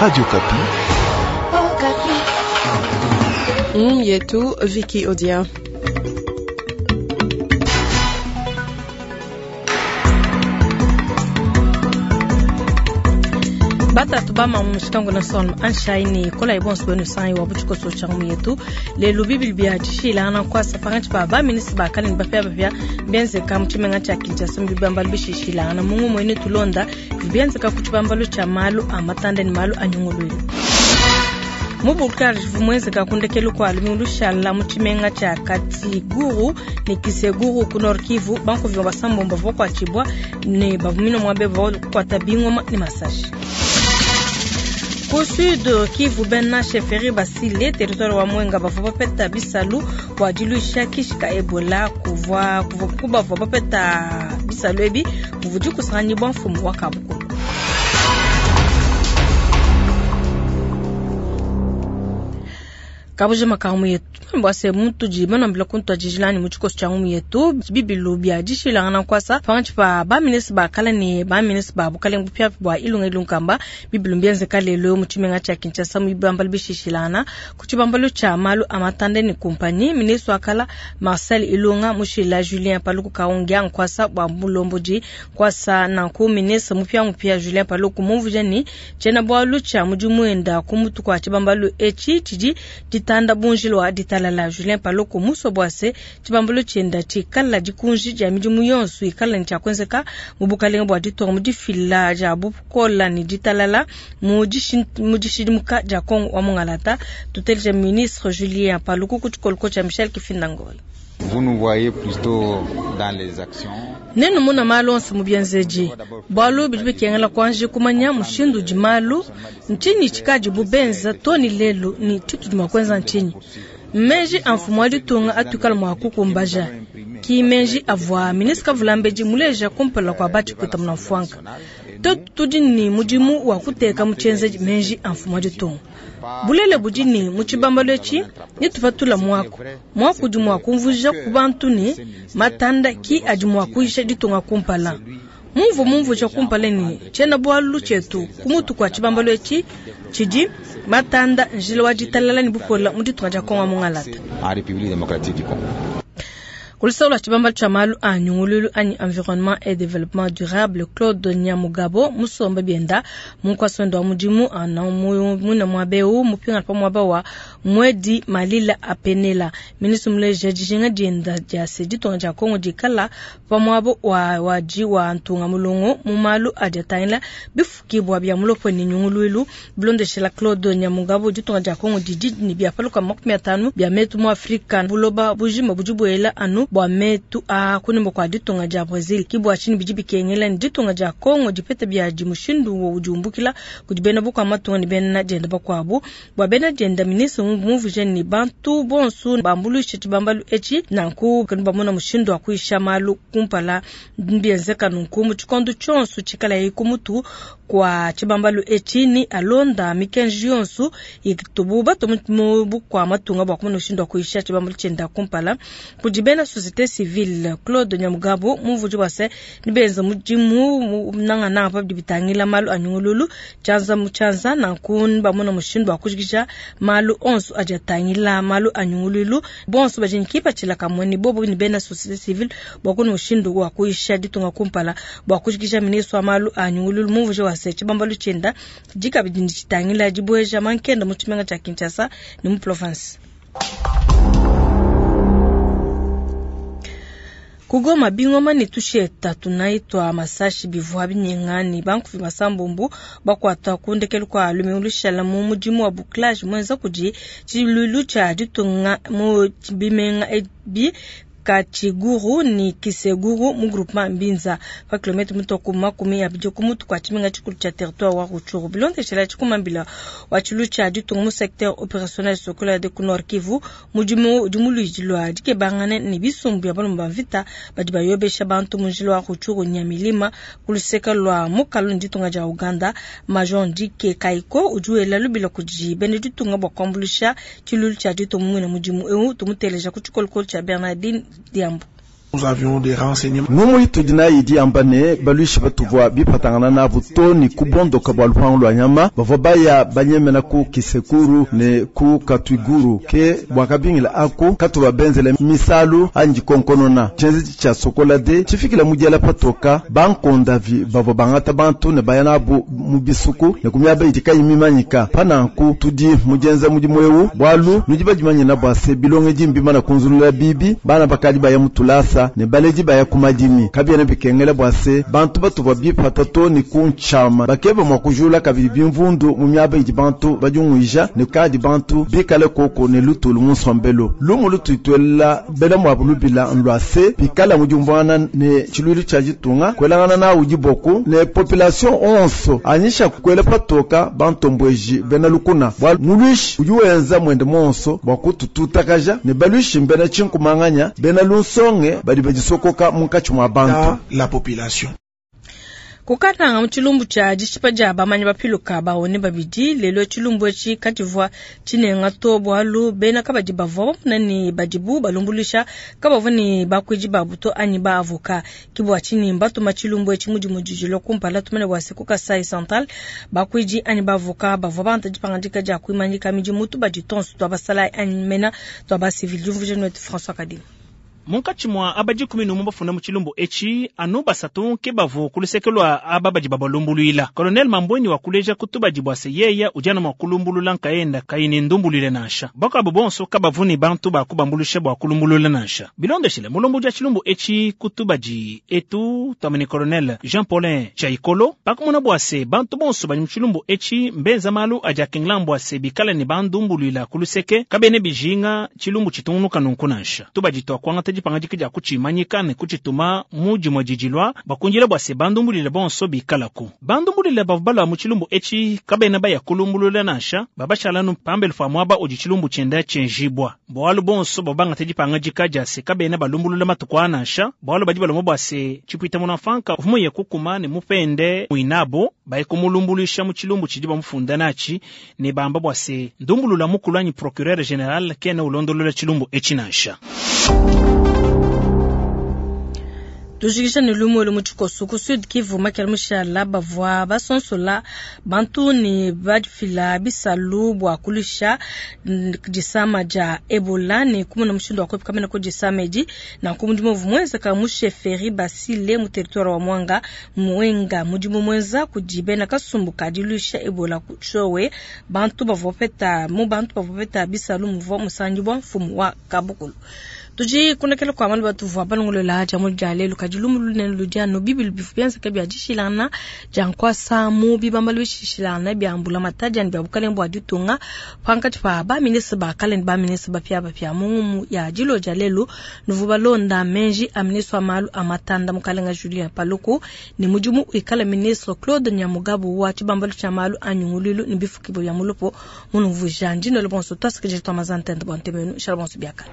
Radio Okapi. Yetu Vicky Odia. Batatu bama mushitangu na son anshaini kola ibonso benu sanyi wa buchikoso changu yetu lelu bibili bia tshishilana kwasa pangatshi pa ba ministre ba kale ne bapia bapia bienzeka mu tshimenga tshia Kinshasa mu bibambalu bishishilangana mungu muene tulonda bienzeka ku tshibambalu tshia malu a matanda ne malu a nyunguluilu. Mu Bulgarie vumwenzeka kundekelu kwa lumingu lushala mu tshimenga tshia Katiguru ne Kiseguru ku Nord Kivu bankuvi basambombo bakuatshibua ne bavumina muabe bakuata bingoma ne masashi. Ku Sud Kivu bena chefferie basile territoire wa Mwenga bavua bapeta bisalu bua diluisha kishi ka Ebola kuvua kubavua bapeta bisalu ebi kuvua dikusanganyibua mfumu wa kabukulu. Kabuja makamu yetu bwase muntu di banambila kuntu ajijilani mu tshikoso tshia ngumu yetu bibilu bia dishilangana nkwasa pangatshi pa ba ministre ba kala ne ba ministre ba bukalenge bupia bua ilunga ilunkamba bibilu mbienzeka lelo mu tshimenga tshia Kinshasa mu bibambalu bishishilangana ku tshibambalu tshia malu a matanda ne kumpanyi ministre wa kala Marcel Ilunga mushila Julien Paluku Kaongea nkwasa bua mulombodi nkwasa nanku ministre mupia mupia Julien Paluku mumvuja ni tshiena bualu tshia mudimu enda ku mutu kua tshibambalu etshi tshidi ditanda bunjilo wa ditalala. Julien Paluku muswa bwase tshibambalu tshienda tshikala dikunji dia midimu yonso ikala ne tshiakuenzeka mu bukalenge bua ditunga mu difila dia bukola ne ditalala mu dishidimuka dia Kongo wa Mungalata. Tuteleje ministre Julien Paluku ku tshikoloko tshia Michel Kifinda-Ngoi. Vous nous voyez plutôt dans les actions. Nenu muna malu onso mu bienzeji. Bualu bidi bikengela kuanji kumanya mushindu udi malu, ntshinyi tshikadi bubenza to ni lelu ni tshitudi mua kuenza ntshinyi. Meji a mfumu wa ditunga atuikala mua kukumbaja. Ki meji avua ministre Kavulambedi muleja kumpala kua batshikuta muna mfuanka. Tuetu tudi ni mudimu wa kuteka mu tshienzeji meji a mfumu wa ditunga. Bulele budi ni mu tshibambalu etshi netupatula muaku. Muaku udi mua kumvuija ku bantu ne matanda ki adi mua kuyisha ditunga kumpala. Mumvu mumvuija kumpala ne tshiena bualu tshietu ku mutu kua tshibambalu etshi tshidi matanda njila wa ditalala ne bupola mu ditunga dia Kongo Mungalata. En République démocratique du Congo. Kulisaula tshibambalu tshia malu a nyungululu anyi environnement et développement durable Claude Nyamugabo musomba bienda munkwasi wenda wa mudimu ana mwina mwabeu mupinga pa mwaba wa mwedi malila apenela. Ministre muleja dijinga dienda dia se ditunga dia Kongo dikala pa mwabo wa waji wa ntunga mulongo mu malu adi atangila bifukibwa bia mulopo ne nyungululu. Bilondeshela Claude Nyamugabo ditunga dia Kongo didi ne bia paluka 50 bia metu mu Afrika buloba bujima budi buela anu bua metu a kunemba kwa ditunga dia Brazil. Ki bua tshinyi bidi bikengela ne ditunga dia Kongo dipete bia di mushindu wo udi umbukila kudi bena bukua matunga ne bena dienda bakuabu. Bua bena dienda ministre mumvuje ne bantu bonso bambuluishe tshibambalu etshi nanku kanu bamona mushindu wa kuyisha malu kumpala mbienzeka nunku mu tshikondo tshionso tshikala yi ku mutu kwa tshibambalu etshi ni alonda mikenji yonso itubu batu mu bukua matunga bua kumona mushindu wa kuyisha tshibambalu tshienda kumpala. Kudi bena société civile Claude Nyamugabo mumvuji wa se ni benza mudimu nangana pa bidi bitangila malu a nyungululu tshianza mu tshianza nanku bamona mushindu wa kujikija malu onso adi atangila malu a nyungululu bonso badi ne kipatshila kamwe ne bobo ni bena société civile bua kuna mushindu wa kuyisha ditunga kumpala bua kujikija ministre wa malu a nyungululu mumvuji wa se tshibambalu tshienda dikabidi ne tshitangila dibueja mankenda mu tshimenga tshia Kinshasa ne mu province. Kugoma bingoma ne tusheta tunaitwa masashi bivua binyenga ne bankuvi masambumbu bakuata kundekelu kwa lumingu lushala mu mudimu wa bouclage mwenza kudi tshilulu tshia ditunga mu bimenga ebi Kachiguru ni Kiseguru mu groupement Mbinza pa kilomètre mutoko 20 ku mutu kwa tshimenga tshikulu tshia territoire wa Rutshuru. Bilondeshela tshikumambila wa tshilu tshia ditunga mu secteur opérationnel Sokola de Nord Kivu mudimu udi muluidi lwa dikebangane ne bisumbu bia balomba mvita badi bayobesha bantu mu njila wa Rutshuru Nyamilima ku luseka lwa mukalu ne ditunga dia Uganda. Major Ndike Kaiko udi wela lubila kudi bena ditunga bua kuambuluisha tshilulu tshia ditunga mu mudimu eu tumuteleja ku tshikolokolo tshia Bernardine Diambu. Ngumu itudi nayi idi yamba ne, baluishi batuvua bipatangana nabu too ne ku bondoka bua lupangu lua nyama bavua baya banyemena ku Kisekuru ne ku Katwiguru. Ke bua kabingila aku katuvua benzele misalu anyi dikonkonona tshienzedi tshia Sokola 2 tshifikila mu diela patoka bankondavi bavua bangata bantu ne baya nabu mu bisuku ne ku miaba idi kayi mimanyika. Pa nanku tudi mu dienza mudimu eu bualu nudi badimanyina bua se bilongedi mbimana kunzulula bibi, bana bakadi baya mu tulasa ne baledi baya ku madimi. Kabiena bikengela bua se bantu batuvua bipata too ne ku ntshiama bakeba mua kujula kabidi bimvundu mu miaba idi bantu badiunguija ne kadi bantu bikale koko ne lutulu mu nsombelu. Lumu lutudi tuelela bena muabu lubila nlua se bikala mu diumvuangana ne tshiluilu tshia ditunga kuelangana nawu diboku ne population onso anyisha kuela patoka bantombueji bena lukuna bualu muluishi udi wenza muende muonso bua kutututakaja ne baluishi mbena tshinkumanganya bena lunsonge badi badisokoka munkatshi mua bantu. La population. Kukatanga mu tshilumbu tshia dishipa dia bamanyi bapiluka baone babidi lelo tshilumbu etshi katshivua tshinenga to bualu bena kabadi bavua bamona ne badibu balumbuluisha kabavua ne bakuidi babu to anyi ba avocat. Ke bua tshinyi mbatuma tshilumbu etshi mu dimue didilo kumpala tumane bua se ku Kasai Central bakuidi anyi ba avocat bavua bangata dipangadika dia kuimanyika midimu tubadi tonso tua basalayi anyi mena tua ba civil. Diumvuija nuetu François Kadima. Munkatshi mua aba 11 bafunda mu tshilumbu etshi, anu basatu ke bavua ku luseke lua aba badi babalumbuluila. Colonel Mambweni wakuleja ku tubadi bua se yeya udi anu mua kulumbulula nkayenda kayi ne ndumbuluile nansha. Bakuabu bonso kabavu ne bantu ba kubambuluisha bua kulumbulula nansha. Bilondeshile mulombodi wa tshilumbu etshi ku tubadi etu, tuambe ne Colonel Jean Paulin Tshiaikolo, pakumona bua se bantu bonso badi mu tshilumbu etshi mbenza malu adi akengela bua se bikale ne bandumbuluila ku luseke, kabena bijinga tshilumbu tshitungunuka nunku nansha. Tubadi tuakuangata dipangadika dia kutshimanyika ne kutshituma mu dimue didilua bakundila bua se bandumbulule bonso bikalaku. Bandumbulule bavua balua mu tshilumbu etshi kabena baya kulumbulula nansha, babashala anu pambelu pa muaba udi tshilumbu tshienda tshienjibua. Bualu bonso bavua bangata dipangadika dia se kabena balumbulula matuku aa nansha, bualu badi balomba bua se tshipuita munamfanka uvua muye kukuma ne mupende muinabo baye kumulumbuluisha mu tshilumbu tshidi bamufunda natshi ne bamba bua se ndumbulula mukulu anyi procureur general kena ulondolola tshilumbu etshi nansha. Tujikisha ne lumu elu mu tshikoso ku Sud Kivu makela mushala bavua basonsola bantu ne bafila bisalu bua kulusha disama dia Ebola ne kumona mushindu wa kuepuka mena ku disama edi. Nanku mudimu uvua muenzeka mu chefferie Basile mu territoire wa Mwanga Mwenga, mudimu muenza kudi bena kasumbu ka diluisha Ebola ku Chowe. Bantu bavua bapeta mu bantu bavua bapeta bisalu muvua musangibua mfumu wa Kabukulu. Tudi kunekela kwa malu batuvua balongolola dia mu dia lelu kadi lumu lunene ludi anu bibilu bivua bienzeka bia dishilangana dia nkuasa mu bibambalu bishilangana bia mbulamatadi anyi bia bukalenge bua ditunga pankatshi pa ba ministre ba kale ne ba ministre bapiabapia mu ngumu ya dilo dia lelu. Nuvua balonda meji a ministre wa malu a matanda mukalenga Julien Paluku ne mudimu wikala ministre Claude Nyamugabo wa tshibambalu tshia malu a nyunguluilu ne bifukibua bia mulupo munumvuija ndinolo bonso tuasikidila tua mazantende bua ntemenu shala bonso biakane.